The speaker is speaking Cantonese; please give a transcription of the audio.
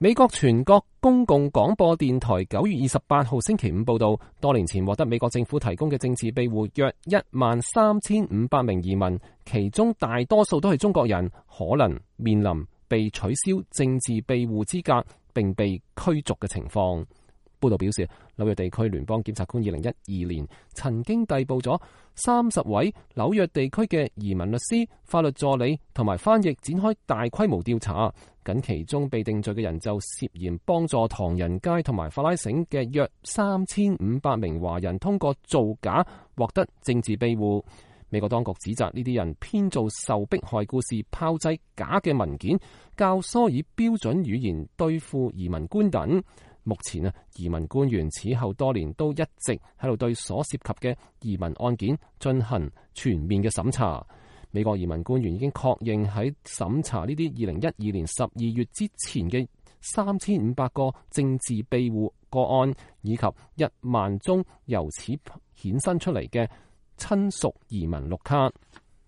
美國全國公共廣播電台9月28號星期五報道，多年前獲得美國政府提供嘅政治庇護約13500名移民，其中大多數都係中國人，可能面臨被取消政治庇護資格並被驅逐嘅情況。報道表示，紐約地區聯邦檢察官2012年曾經逮捕咗30位紐約地區嘅移民律師、法律助理同埋翻譯，展開大規模調查。僅其中被定罪嘅人就涉嫌幫助唐人街同埋法拉盛嘅約3500名華人通過造假獲得政治庇護。美國當局指責呢啲人編造受迫害故事，炮製假嘅文件，教唆以標準語言對付移民官等。目前移民官員此後多年都一直喺度對所涉及嘅移民案件進行全面嘅審查。美國移民官員已經確認喺審查呢啲2012年12月之前嘅3500個政治庇護個案，以及1萬宗由此衍生出嚟嘅親屬移民綠卡。